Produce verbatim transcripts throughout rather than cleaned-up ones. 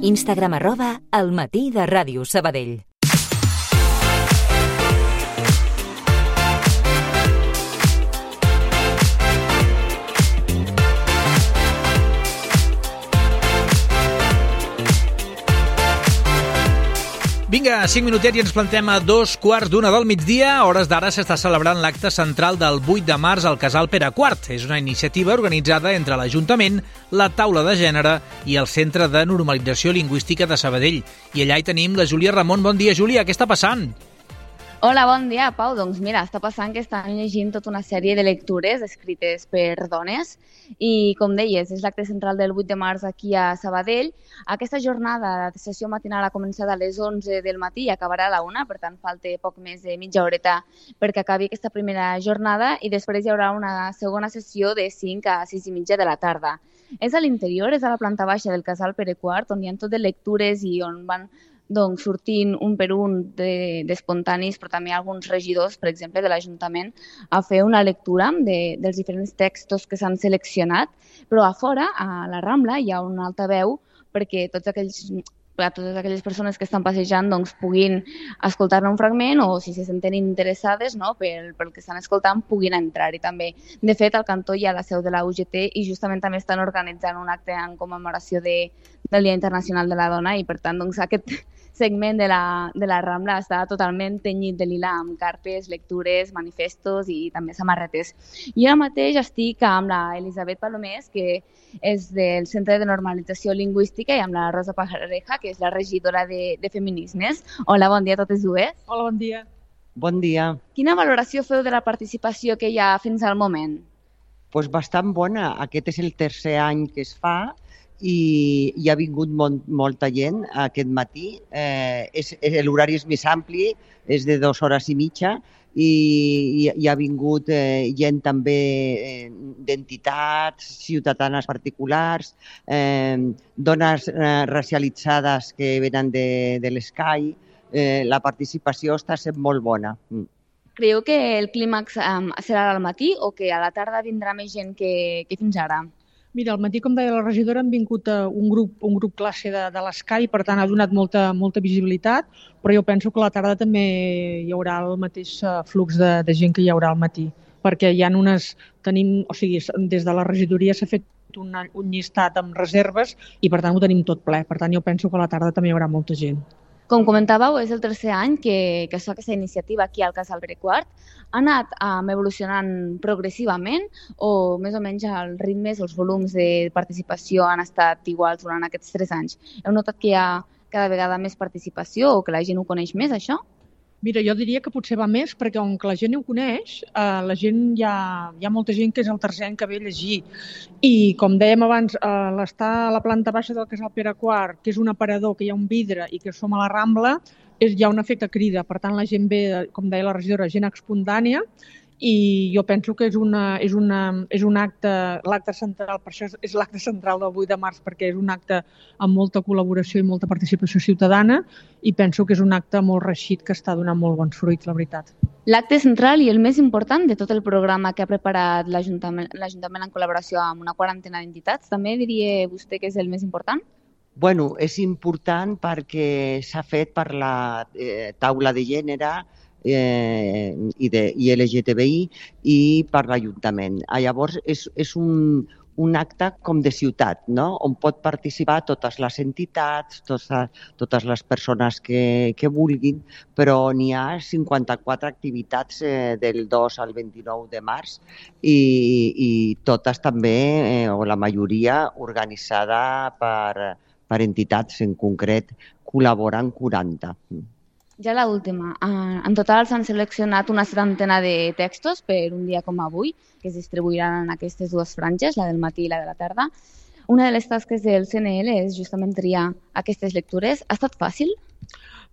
Instagram arroba El Matí de Ràdio Sabadell. Vinga, cinc minutets i ens plantem a dos quarts d'una del migdia. A hores d'ara s'està celebrant l'acte central del vuit de març al Casal Pere quart. És una iniciativa organitzada entre l'Ajuntament, la Taula de Gènere i el Centre de Normalització Lingüística de Sabadell. I allà hi tenim la Júlia Ramon. Bon dia, Júlia. Què està passant? Hola, bon dia, Pau. Doncs mira, està passant que estan llegint tota una sèrie de lectures escrites per dones i, com deies, és l'acte central del vuit de març aquí a Sabadell. Aquesta jornada de sessió matinal ha començat a les onze del matí i acabarà a la una, per tant falta poc més de mitja horeta perquè acabi aquesta primera jornada i després hi haurà una segona sessió de cinc a sis i mitja de la tarda. És a l'interior, és a la planta baixa del Casal Pere quart, on hi ha tot de lectures i on van doncs, sortint un per un d'espontanis, de, però també alguns regidors, per exemple, de l'Ajuntament, a fer una lectura de, dels diferents textos que s'han seleccionat, però a fora, a la Rambla, hi ha un altaveu perquè tots aquells, a totes aquelles persones que estan passejant doncs, puguin escoltar-ne un fragment o, si se senten interessades no, pel, pel que estan escoltant, puguin entrar-hi també. De fet, al cantó hi ha la seu de la U G T i justament també estan organitzant un acte en commemoració de, del Dia Internacional de la Dona i, per tant, doncs, aquest segment de la, de la Rambla està totalment tenyit de lila amb cartes, lectures, manifestos i també samarretes. Jo ara mateix estic amb la Elisabet Palomés, que és del Centre de Normalització Lingüística, i amb la Rosa Pajareja, que és la regidora de, de Feminismes. Hola, bon dia a totes dues. Hola, bon dia. Bon dia. Quina valoració feu de la participació que hi ha fins al moment? Pues bastant bona. Aquest és el tercer any que es fa i hi ha vingut molt, molta gent aquest matí. Eh, és, l'horari és més ampli, és de dues hores i mitja, i hi, hi ha vingut eh, gent també eh, d'entitats, ciutadanes particulars, eh, dones eh, racialitzades que venen de, de l'Escai. Eh, la participació està sent molt bona. Creieu que el clímax um, serà al matí o que a la tarda vindrà més gent que, que fins ara? Mira, al matí, com deia la regidora, han vingut un grup, un grup classe de, de l'Escai, per tant ha donat molta, molta visibilitat, però jo penso que a la tarda també hi haurà el mateix flux de, de gent que hi haurà al matí, perquè hi ha unes, tenim, o sigui, des de la regidoria s'ha fet un, un llistat amb reserves i per tant ho tenim tot ple, per tant jo penso que a la tarda també hi haurà molta gent. Com comentàveu, és el tercer any que, que es fa aquesta iniciativa aquí al Casal Pere quart. Ha anat um, evolucionant progressivament o més o menys els ritmes o els volums de participació han estat iguals durant aquests tres anys? Heu notat que hi ha cada vegada més participació o que la gent ho coneix més, això? Mira, jo diria que potser va més perquè com que la gent ho coneix, eh, la gent hi ha, hi ha molta gent que és el tercer any que ve a llegir. I com dèiem abans, eh, l'estar a la planta baixa del Casal Pere quart, que és un aparador, que hi ha un vidre i que som a la Rambla, és, hi ha un efecte crida. Per tant, la gent ve, com deia la regidora, gent espontània, i jo penso que és, una, és, una, és un acte, l'acte central, per això és l'acte central del vuit de març, perquè és un acte amb molta col·laboració i molta participació ciutadana i penso que és un acte molt reeixit que està donant molt bons fruits, la veritat. L'acte central i el més important de tot el programa que ha preparat l'Ajuntament, l'Ajuntament en col·laboració amb una quarantena d'entitats, també diria vostè que és el més important? Bueno, és important perquè s'ha fet per la eh, taula de gènere eh, i, de, i L G T B I i per l'Ajuntament. Llavors, és, és un, un acte com de ciutat, no? On pot participar totes les entitats, totes, totes les persones que, que vulguin, però n'hi ha cinquanta-quatre activitats eh, del dos al vint-i-nou de març i, i totes també, eh, o la majoria, organitzada per, per entitats, en concret col·laboren quaranta. Ja l'última. En total s'han seleccionat una setantena de textos per un dia com avui, que es distribuiran en aquestes dues franges, la del matí i la de la tarda. Una de les tasques del C N L és justament triar aquestes lectures. Ha estat fàcil?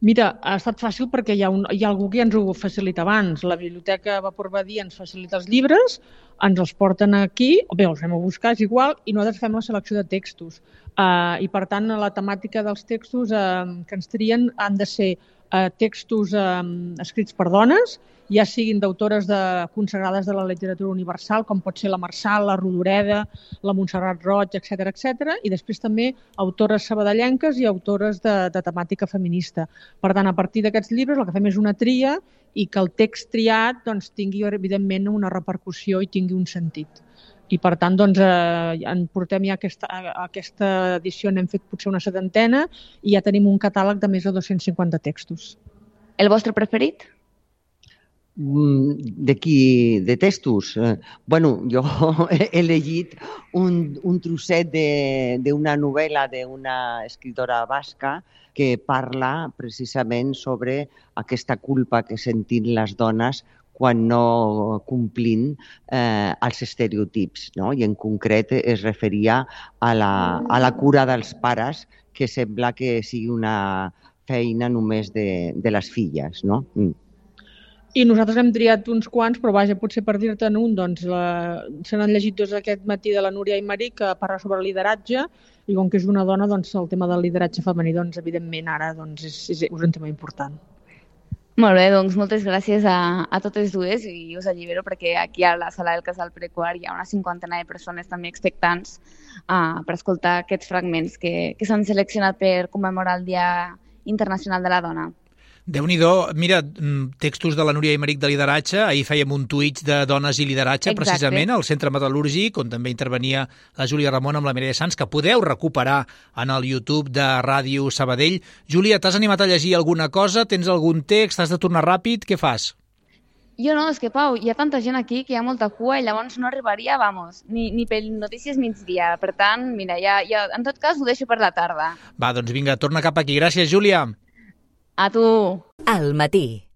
Mira, ha estat fàcil perquè hi ha, un, hi ha algú que ja ens ho facilita abans. La Biblioteca Vapor Badia ens facilita els llibres, ens els porten aquí, o bé, els anem a buscar, és igual, i nosaltres fem la selecció de textos. Uh, I, per tant, la temàtica dels textos uh, que ens trien han de ser uh, textos uh, escrits per dones, ja siguin d'autores de, consagrades de la literatura universal, com pot ser la Marçal, la Rodoreda, la Montserrat Roig, etcètera, etcètera, i després també autores sabadellenques i autores de, de temàtica feminista. Per tant, a partir d'aquests llibres el que fem és una tria i que el text triat doncs, tingui, evidentment, una repercussió i tingui un sentit. I, per tant, doncs, eh, en portem ja aquesta, aquesta edició, n'hem fet potser una setantena i ja tenim un catàleg de més de dos-cents cinquanta textos. El vostre preferit? De qui? De textos? Eh, bueno, jo he elegit un, un trosset d'una novel·la d'una escritora basca que parla precisament sobre aquesta culpa que sentim les dones quan no complint eh, els estereotips, no? I en concret es referia a la, a la cura dels pares, que sembla que sigui una feina només de, de les filles, no? Mm. I nosaltres hem triat uns quants, però vaja, potser per dir-te'n un, doncs la... se n'han llegit dos aquest matí de la Núria Aymerich, que parla sobre lideratge, i com que és una dona, doncs el tema del lideratge femení, doncs evidentment ara doncs, és, és, és un tema important. Molt bé, doncs moltes gràcies a, a totes dues i us allibero perquè aquí a la sala del Casal Perequart hi ha una cinquantena de persones també expectants uh, per escoltar aquests fragments que, que s'han seleccionat per commemorar el Dia Internacional de la Dona. Déu-n'hi-do, mira, textos de la Núria Aymerich de lideratge, ahir fèiem un tuit de dones i lideratge, exacte, precisament, al Centre Metal·lúrgic, on també intervenia la Júlia Ramon amb la Mireia Sans, que podeu recuperar en el YouTube de Ràdio Sabadell. Júlia, t'has animat a llegir alguna cosa? Tens algun text? Has de tornar ràpid? Què fas? Jo no, és que, Pau, hi ha tanta gent aquí que hi ha molta cua i llavors no arribaria, vamos, ni, ni per notícies migdia. Per tant, mira, ja, ja, en tot cas ho deixo per la tarda. Va, doncs vinga, torna cap aquí. Gràcies, Júlia. A tu. Al matí.